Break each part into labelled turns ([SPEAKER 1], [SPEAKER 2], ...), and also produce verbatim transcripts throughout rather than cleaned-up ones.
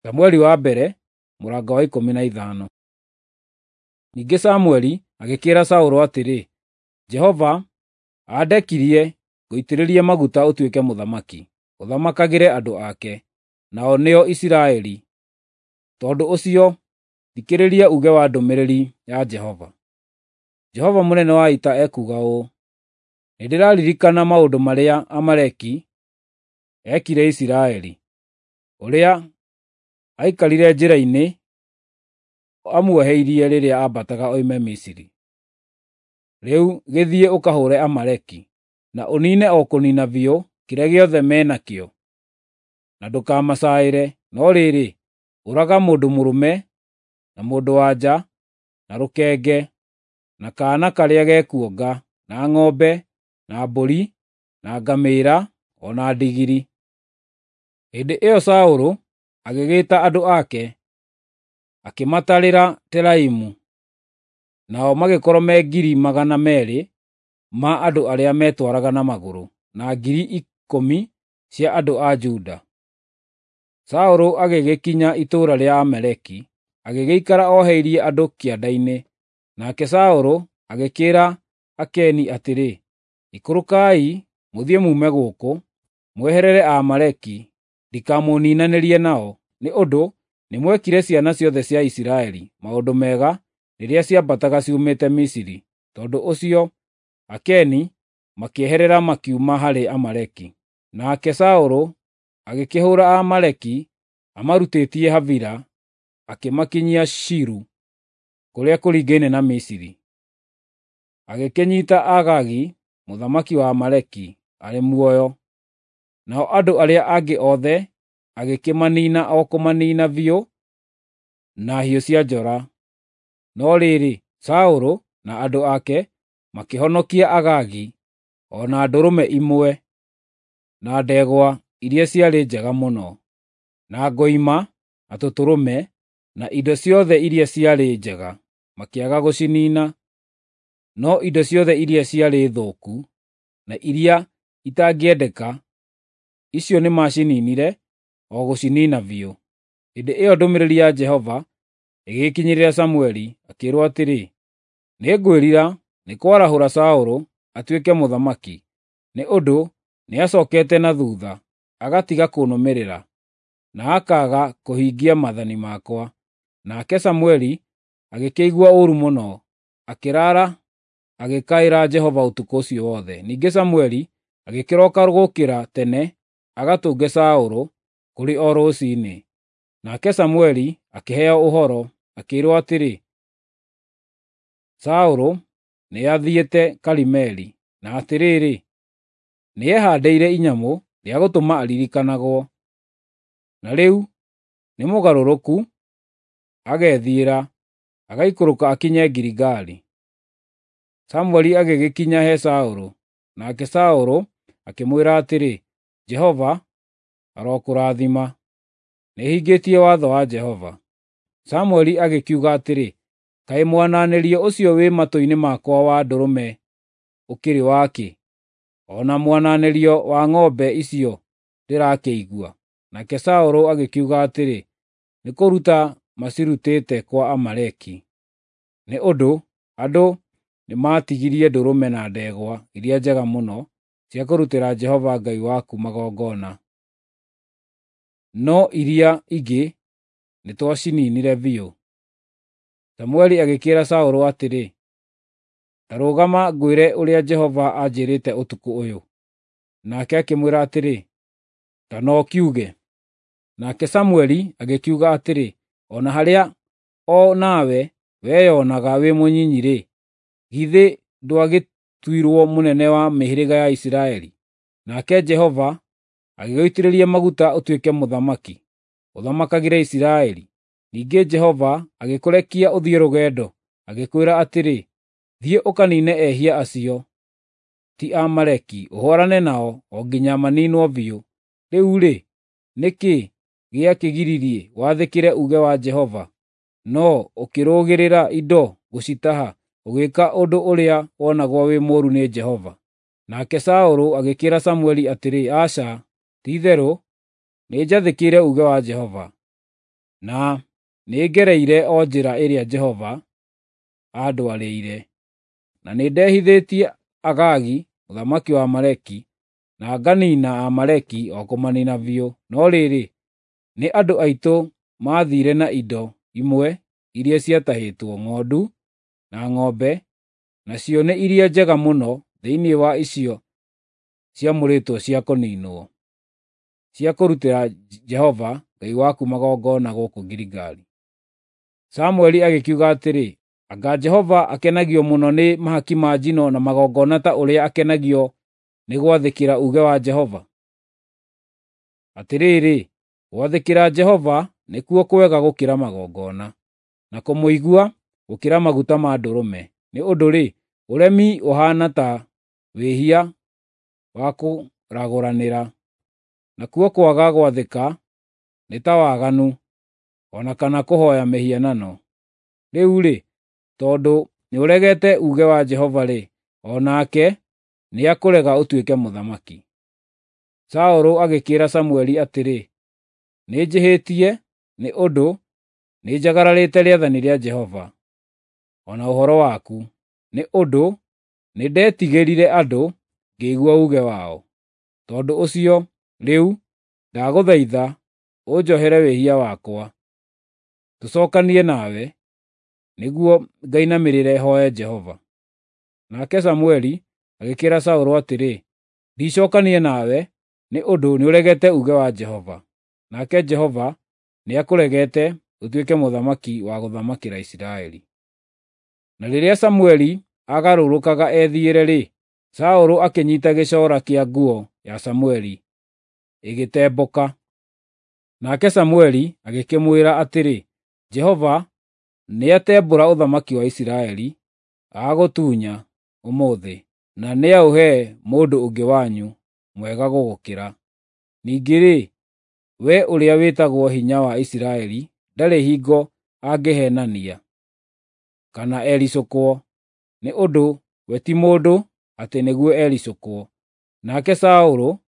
[SPEAKER 1] Samueli wa mbere mũrango wa ikũmi na ithano. Ningĩ Samueli agĩkĩĩra Saũlũ atĩrĩ, Jehova andekirie ngũitĩrĩrie maguta ũtuĩke mũthamaki, ũthamakagĩre andũ ake, nao nĩo Isiraeli. Tondũ ũcio thikĩrĩria uuge wa ndũmĩrĩri ya Jehova. Jehova mũnene wa ita ekuuga ũũ: Nĩndĩraririkana maũndũ marĩa Amaleki eekire Isiraeli, ũrĩa aikarire njĩra-inĩ amuoheirie rĩrĩa aambataga oime Misiri. Rĩu gĩthiĩ ũkahũũre Amaleki, na ũniine o kũniina biũ kĩrĩa gĩothe me nakĩo, na ndũkamacaĩre, no rĩrĩ, ũraga mũndũ mũrũme na mũndũ-wa-nja, na rũkenge, na kaana karĩa gekuonga, na ng'ombe, na mbũri, na ngamĩĩra, o na ndigiri. Hĩndĩ ĩyo Saũlũ agĩgĩĩta andũ ake, akĩmatarĩra Telaimu, nao magĩkorwo me ngiri magana meerĩ ma andũ arĩa meetwaraga na magũrũ, na ngiri ikũmi cia andũ a Juda. Saũlũ agĩgĩkinya itũũra rĩa Amaleki, agĩgĩikara oheirie andũ kĩanda-inĩ. Nake Saũlũ agĩkĩĩra Akeni atĩrĩ, “Ikũrũkai mũthiĩ muume gũkũ, mweherere Aamaleki, ndikamũniinanĩrie nao, nĩ ũndũ nĩmwekire ciana ciothe cia Isiraeli maũndũ mega rĩrĩa ciambataga ciumĩte Misiri.” Tondũ ũcio Akeni makĩeherera makiuma harĩ Amaleki. Nake Saũlũ agĩkĩhũũra Aamaleki amarutĩtie Havila akĩmakinyia Shuru, kũrĩa kũringaine na Misiri. Agĩkĩnyiita Agagi mũthamaki wa Amaleki arĩ muoyo, nao andũ arĩa angĩ othe agĩkĩmaniina o kũmaniina biũ na hiũ cia njora. No rĩrĩ, Saũlũ na andũ ake makĩhonokia Agagi, o na ndũrũme imwe, na ndegwa iria ciarĩ njega mũno, na ngoima, na tũtũrũme, na indo ciothe iria ciarĩ njega, makĩaga gũciniina. No indo ciothe iria ciarĩ thũku na iria itangĩendeka, icio nĩmacininire o gũciniina biũ. Hĩndĩ ĩyo ndũmĩrĩri ya Jehova ĩgĩkinyĩra Samueli, akĩĩrwo atĩrĩ, “Nĩngwĩrira nĩ kwarahũra Saũlũ atuĩke mũthamaki, nĩ ũndũ nĩacookete na thuutha, agatiga kũnũmĩrĩra, na akaaga kũhingia maathani makwa.” Nake Samueli agĩkĩigua ũũru mũno, akĩraara agĩkaĩra Jehova ũtukũ ũcio wothe. Ningĩ Samueli agĩkĩroka gũũkĩra tene agatũnge Saũlũ kũrĩ o rũciinĩ. Nake Samueli akĩheo ũhoro, akĩĩrwo atĩrĩ, Saũlũ nĩathiĩte Karimeli, na atĩrĩrĩ, nĩehaandĩire inyamũ rĩa gũtũma aririkanagwo. Na rĩu nĩ mũgarũrũku agethiĩra, agaikũrũka akinye Giligali. Samueli agĩgĩkinya he Saũlũ, nake Saũlũ akĩmwĩra atĩrĩ, “Jehova arokũrathima! Nĩhingĩtie watho wa Jehova.” Samueli agĩkiuga atĩrĩ, “Kaĩ mwananĩrio ũcio wĩ matũ-inĩ makwa wa ndũrũme ũkĩrĩ wa kĩ, o na mwananĩrio wa ng'ombe icio ndĩrakĩigua?” Nake Saũlũ agĩkiuga atĩrĩ, “Nĩ kũruta macirutĩte kwa Amaleki.” Nĩ ũndũ andũ nĩmatigirie ndũrũme na ndegwa iria njega mũno cia kũrutĩra Jehova Ngai waku magongona, no iria ingĩ nĩtwacininire biũ. Samueli agĩkĩĩra Saũlũ atĩrĩ, “Ta rũgama ngwĩre ũrĩa Jehova anjĩrĩte ũtukũ ũyũ.” Nake akĩmwĩra atĩrĩ, “Ta no kiuge.” Nake Samueli agĩkiuga atĩrĩ, “O na harĩa o nawe weyonaga wĩ mũnyinyi-rĩ, githĩ ndwagĩtuirwo mũnene wa mĩhĩrĩga ya Isiraeli? Nake Jehova agĩgũitĩrĩria maguta ũtuĩke mũthamaki, ũthamakagĩre Isiraeli. Ningĩ Jehova agĩkũrekia ũthiĩ rũgendo, agĩkwĩra atĩrĩ, ‘Thiĩ ũkaniine ehia acio ti Amaleki, ũhũũrane nao o nginya maniinwo biũ.’ Rĩu-rĩ, nĩ kĩĩ gĩakĩgiririe wathĩkĩre uuge wa Jehova, no ũkĩrũgĩrĩra indo gũcitaha, ũgĩĩka ũndũ ũrĩa wonagwo wĩ mũũru nĩ Jehova?” Nake Saũlũ agĩkĩĩra Samueli atĩrĩ, “Aca, ti-itherũ nĩnjathĩkĩire uuge wa Jehova. Na nĩngereire o njĩra ĩrĩa Jehova aandwarĩire, na nĩndehithĩtie Agagi mũthamaki wa Amaleki, na nganiina Aamaleki o kũmaniina biũ. No rĩrĩ, nĩ andũ aitũ maathiire na indo imwe iria ciatahĩtwo, ng'ondu na ng'ombe, nacio nĩ iria njega mũno thĩinĩ wa icio ciamũrĩtwo cia kũniinwo, cia kũrutĩra Jehova Ngai waku magongona gũkũ Giligali." Samũeli agĩkiuga atĩrĩ, “Anga Jehova akenagio mũno nĩ mahaki ma njino na magongona ta ũrĩa akenagio nĩ gwathĩkĩra uuge wa Jehova? Atĩrĩrĩ, gwathĩkĩra Jehova nĩkuo kwega gũkĩra magongona, na kũmũigua gũkĩra maguta ma ndũrũme. Nĩ ũndũ-rĩ, ũremi ũhaana ta wĩhia wa kũragũranĩra, nakuo kwaga gwathĩka nĩ ta waganu, o na kana kũhooya mĩhianano. Rĩu-rĩ, tondũ nĩũregete uuge wa Jehova-rĩ, o nake nĩakũrega ũtuĩke mũthamaki." Saũlũ agĩkĩĩra Samũeli atĩrĩ, “Nĩnjĩhĩtie nĩ ũndũ nĩnjagararĩte rĩathani rĩa Jehova, o na ũhoro waku, nĩ ũndũ nĩndetigĩrire andũ ngĩigua uuge wao. Tondũ ũcio, rĩu ndagũthaitha ũnjohere wĩhia wakwa, tũcookanie nawe, nĩguo ngainamĩrĩre hooe Jehova." Nake Samũeli agĩkĩĩra Saũlũ atĩrĩ, “Ndicookania nawe, nĩ ũndũ nĩũregete uuge wa Jehova, nake Jehova nĩakũregete ũtuĩke mũthamaki wa gũthamakĩra Isiraeli." Na rĩrĩa Samũeli aagarũrũkaga ethiĩre-rĩ, Saũlũ akĩnyiita gĩcoora kĩa nguo ya Samũeli, ĩgĩtembũka. Nake Samũeli agĩkĩmwĩra atĩrĩ, “Jehova nĩatembũra ũthamaki wa Isiraeli, agagũtunya ũmũthĩ, na nĩaũhe mũndũ ũngĩ wanyu mwega gũgũkĩra. Ningĩ-rĩ, we ũrĩa wĩtagwo Hinya wa Isiraeli ndarĩ hingo angĩheenania kana ericũkwo, nĩ ũndũ we ti mũndũ atĩ nĩguo ericũkwo.” Nake Saũlũ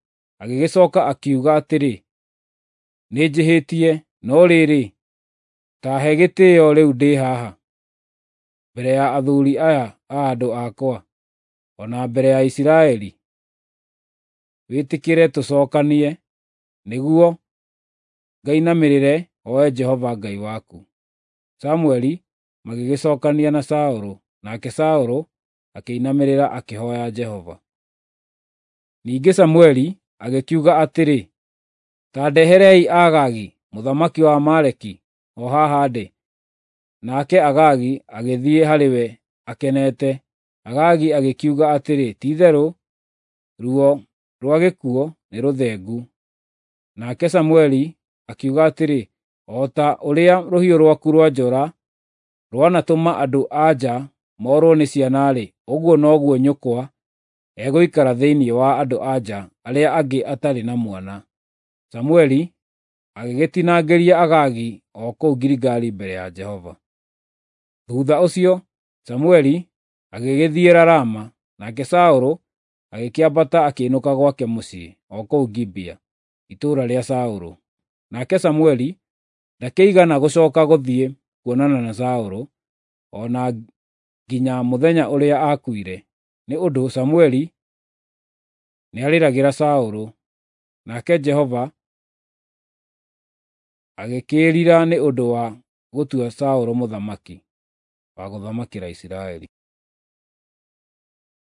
[SPEAKER 1] agĩgĩcooka akiuga atĩrĩ, “Nĩnjĩhĩtie, no rĩrĩ, ta he gĩtĩĩo rĩu ndĩ haha, mbere ya athuuri aya a andũ akwa, o na mbere ya Isiraeli. Wĩtĩkĩre tũcookanie, nĩguo ngainamĩrĩre hooe Jehova Ngai waku.” Samũeli magĩgĩcookania na Saũlũ, nake Saũlũ akĩinamĩrĩra akĩhooya Jehova. Ningĩ Samũeli agĩkiuga atĩrĩ, “Ta ndeherei Agagi mũthamaki wa Amaleki o haha ndĩ.” Nake Agagi agĩthiĩ harĩ we akenete. Agagi agĩkiuga atĩrĩ, “Ti-itherũ ruo rwa gĩkuũ nĩ rũthengu.” Nake Samũeli akiuga atĩrĩ, “O ta ũrĩa rũhiũ rwaku rwa njora rwanatũma andũ-a-nja moorwo nĩ ciana-rĩ, ũguo noguo nyũkwa egũikara thĩinĩ wa andũ-a-nja arĩa angĩ atarĩ na mwana.” Samũeli agĩgĩtinangĩria Agagi o kũu Giligali mbere ya Jehova. Thuutha ũcio Samũeli agĩgĩthiĩra Rama, nake Saũlũ agĩkĩambata akĩinũka gwake mũciĩ o kũu Gibea, itũũra rĩa Saũlũ. Nake Samũeli ndakĩigana gũcooka gũthiĩ kuonana na Saũlũ, o na nginya mũthenya ũrĩa aakuire, nĩ ũndũ Samũeli nĩarĩragĩra Saũlũ. Nake Jehova agĩkĩĩrira nĩ ũndũ wa gũtua Saũlũ mũthamaki wa gũthamakĩra Isiraeli.